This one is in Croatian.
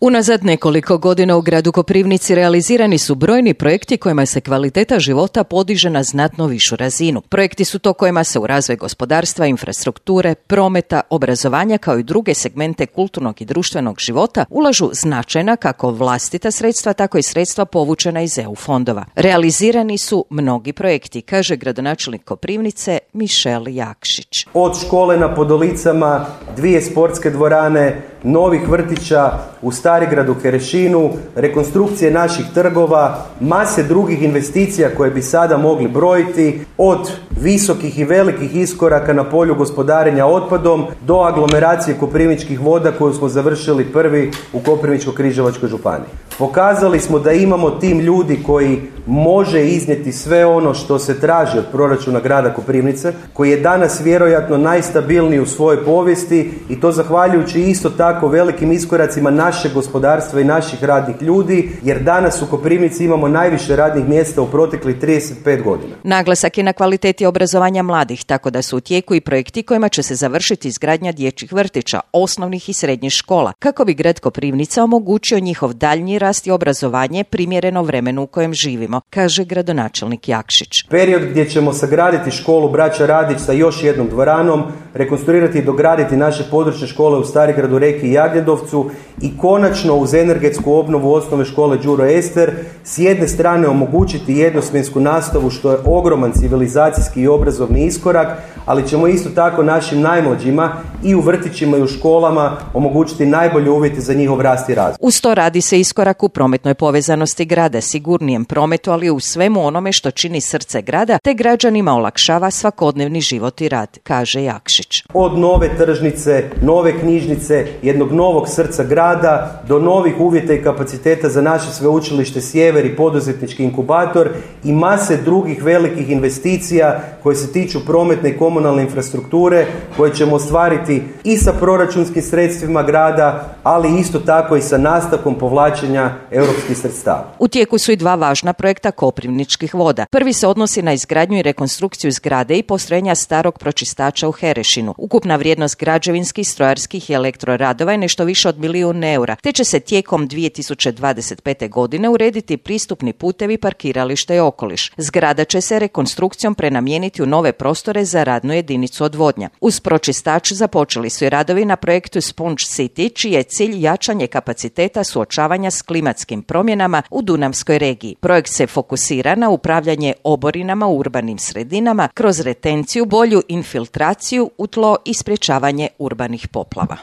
Unazad nekoliko godina u gradu Koprivnici realizirani su brojni projekti kojima se kvaliteta života podiže na znatno višu razinu. Projekti su to kojima se u razvoj gospodarstva, infrastrukture, prometa, obrazovanja kao i druge segmente kulturnog i društvenog života ulažu značajna kako vlastita sredstva, tako i sredstva povučena iz EU fondova. Realizirani su mnogi projekti, kaže gradonačelnik Koprivnice Mišel Jakšić. Od škole na Podolicama, 2 sportske dvorane, novih vrtića u Starigradu, Kerešinu, rekonstrukcije naših trgova, mase drugih investicija koje bi sada mogli brojiti, od visokih i velikih iskoraka na polju gospodarenja otpadom do aglomeracije Koprivničkih voda koju smo završili prvi u Koprivničko-križevačkoj županiji. Pokazali smo da imamo tim ljudi koji može iznijeti sve ono što se traži od proračuna grada Koprivnice, koji je danas vjerojatno najstabilniji u svojoj povijesti i to zahvaljujući isto tako velikim iskoracima našeg gospodarstva i naših radnih ljudi, jer danas u Koprivnici imamo najviše radnih mjesta u proteklih 35 godina. Naglasak je na kvaliteti obrazovanja mladih, tako da su u tijeku i projekti kojima će se završiti izgradnja dječjih vrtića, osnovnih i srednjih škola, kako bi grad Koprivnica omogućio njihov daljnji rast i obrazovanje primjereno vremenu u kojem živimo, kaže gradonačelnik Jakšić. Period gdje ćemo sagraditi školu Braća Radić sa još jednom dvoranom, rekonstruirati i dograditi naše područne škole u Starigradu, Reki i Jagnjedovcu i konačno uz energetsku obnovu osnovne škole Đuro Ester s jedne strane omogućiti jednosmjensku nastavu što je ogroman civilizacijski i obrazovni iskorak, ali ćemo isto tako našim najmlađima i u vrtićima i u školama omogućiti najbolje uvjete za njihov rast i razvoj. Uz to radi se iskorak u prometnoj povezanosti grada, sigurnijem prometu, ali u svemu onome što čini srce grada, te građanima olakšava svakodnevni život i rad, kaže Jakšić. Od nove tržnice, nove knjižnice, jednog novog srca grada, do novih uvjeta i kapaciteta za naše sveučilište Sjever i poduzetnički inkubator i mase drugih velikih investicija koje se tiču prometne i komunalne infrastrukture, koje ćemo ostvariti i sa proračunskim sredstvima grada, ali isto tako i sa nastavkom povlačenja europskih sredstava. U tijeku su i 2 važna projekta Koprivničkih voda. Prvi se odnosi na izgradnju i rekonstrukciju zgrade i postrojenja starog pročistača u Herešinu. Ukupna vrijednost građevinskih, strojarskih i elektroradova je nešto više od 1 milijun eura, te će se tijekom 2025. godine urediti pristupni putevi, parkiralište i okoliš. Zgrada će se rekonstrukcijom prenamijeniti u nove prostore za radnu jedinicu odvodnja. Uz pročistač započeli su i radovi na projektu Sponge City, čiji je cilj jačanje kapaciteta suočavanja s klimatskim promjenama u Dunavskoj regiji. Projekt se fokusira na upravljanje oborinama u urbanim sredinama kroz retenciju, bolju infiltraciju u tlo i sprječavanje urbanih poplava.